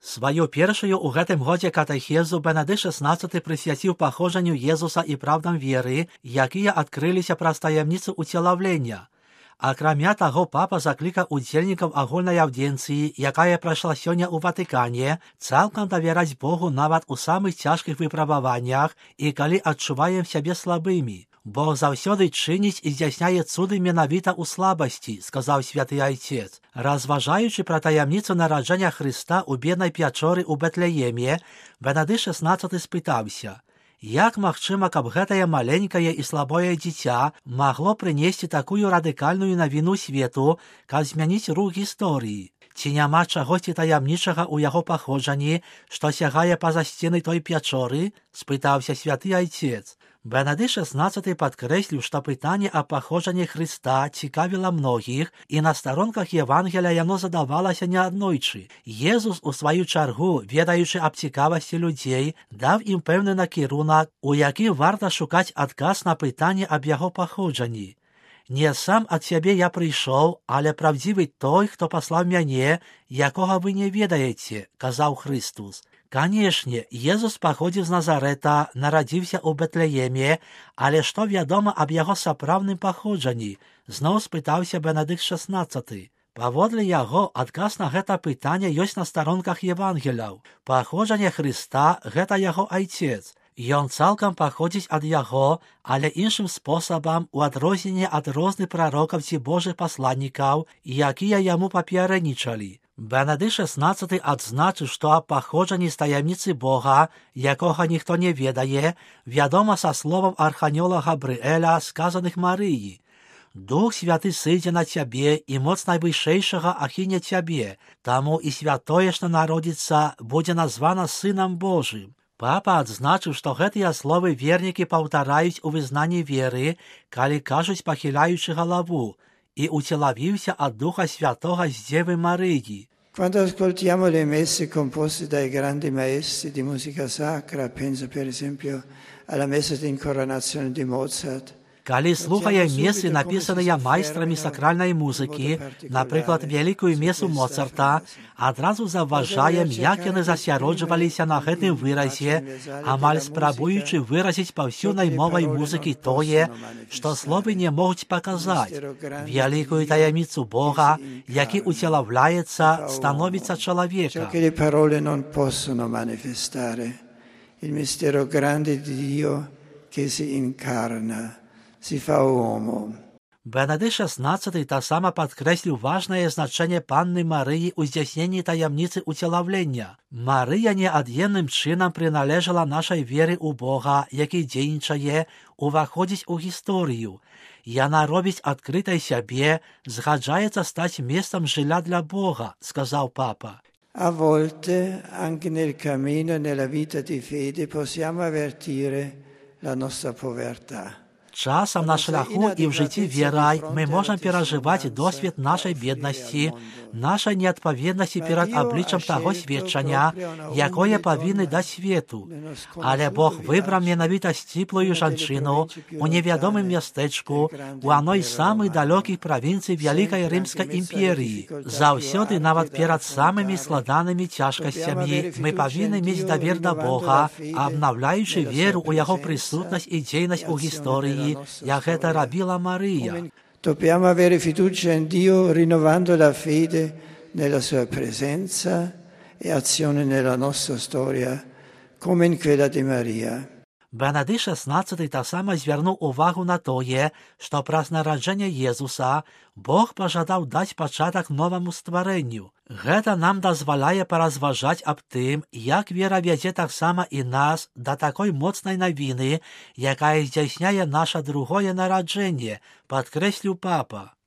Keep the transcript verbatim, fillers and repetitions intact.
Сваю першую ў гэтым годзе катэхезу Бенедыкт шаснаццаты прысвяціў паходжанню Езуса і правдам веры, якія адкрыліся праз таямніцу уцелаўлення. Акрамя таго, папа заклікаў удзельнікаў агульнай аўдзенцыі, якая прайшла сёння ў Ватыкане, цалкам давяраць Богу нават у самых цяжкіх выпрабаваннях і калі адчуваем сябе слабымі. Бог заўсёды чыніць і здзяйсняе цуды менавіта ў слабасці, сказаў святы айцец. Разважаючы пра таямніцу нараджэння Хрыста ў беднай пячоры ў Бэтлееме, Бенедыкт шаснаццаты спытаўся: як магчыма, каб гэтае маленькае і слабое дзіця магло прынесці такую радыкальную навіну свету, каб змяніць рух гісторыі? Ці няма чагосьці таямнічага ў яго паходжанні, што сягае па-за сцены той пячоры? Спытаўся святы айцец. Бенедыкт шаснаццаты падкрэсліў, што пытанне аб паходжанні Хрыста цікавіла многіх, і на старонках Евангелія яно задавалася неаднойчы. Езус, у сваю чаргу, ведаючы аб цікавасці людзей, даў ім пэўны накірунак, у які варта шукаць адказ на пытанне аб яго паходжанні. «Не сам ад сябе я прыйшоў, але правдзівы той, хто паслаў мяне, якога вы не ведаеце», – казаў Хрыстус. Канешне, Езус паходзіў з Назарэта, нарадзіўся ў Бэтлееме, але што вядома аб яго сапраўдным паходжанні? Зноў спытаўся Бенедыкт шаснаццаты. Паводле яго, адказ на гэта пытанне ёсць на старонках Евангеляў. Паходжанне Хрыста – гэта яго айцец. Ён цалкам паходзіць ад яго, але іншым спосабам, у адрозненне ад розных прарокаў ці божых пасланнікаў, якія яму папярэднічалі. Бенедыкт шаснаццаты адзначыў, што аб паходжанні з таямніцы Бога, якога ніхто не ведае, вядома са словаў арханёла Габрыэля, сказаных Марыі. «Дух святы сыдзе на цябе, і моц найвышэйшага ахіне цябе, таму і святое, што народзіцца, будзе названа Сынам Божым». Папа адзначыў, што гэтыя словы вернікі паўтараюць у вызнанні веры, калі кажуць, пахіляючы галаву: «І уцелавіўся ад Духа Святога з Дзевы Марыі». Quando ascoltiamo le messe composte dai grandi maestri di musica sacra, penso per esempio alla messa di incoronazione di Mozart, Калі слухаем месы, напісаныя майстрамі сакральнай музыкі, напрыклад, вялікую месу Моцарта, адразу заўважаем, як яны засяроджваліся на гэтым выразе, амаль спрабуючы выразіць паўсюднай мовай музыкі тое, што словы не могуць паказаць. Вялікую таямніцу Бога, які уцелаўляецца, становіцца чалавека. Il mistero grande di Dio che si incarna. Бенедыкт шаснаццаты таксама падкрэсліў важнае значэнне панны Марыі ў здзяйсненні таямніцы уцелаўлення. Марыя неад'емным чынам прыналежала нашай веры ў Бога, які дзейнічае, уваходзіць у гісторыю. Яна робіць адкрытай сябе, згаджаецца стаць месцам жылля для Бога, сказаў папа. A volte, anche nel cammino e nella vita di fede, possiamo avvertire la nostra povertà. Часам на шляху і ў жыцці верай мы можам перажываць досвед нашай беднасці, нашай неадпаведнасці перад абліччам таго сведчання, якое павінны даць свету. Але Бог выбраў менавіта сціплую жанчыну у невядомым мястэчку у адной з самых далёкіх правінцый Вялікай Рымскай імперіі. Заўсёды, нават перад самымі складанымі цяжкасцямі, мы павінны мець давер да Бога, абнаўляючы веру ў яго прысутнасць і дзейнасць у гісторыі, як гэта рабіла Марыя. Dobbiamo avere fiducia in Dio rinnovando la fede nella sua presenza e azione nella nostra storia, come in quella di Maria. Бенедыкт шаснаццаты таксама звярнуў увагу на тое, што праз нараджэнне Езуса Бог пажадаў даць пачатак новаму стварэнню. Гэта нам дазваляе паразважаць аб тым, як вера вядзе таксама і нас да такой моцнай навіны, якая здзяйсняе наша другое нараджэнне, падкрэсліў папа.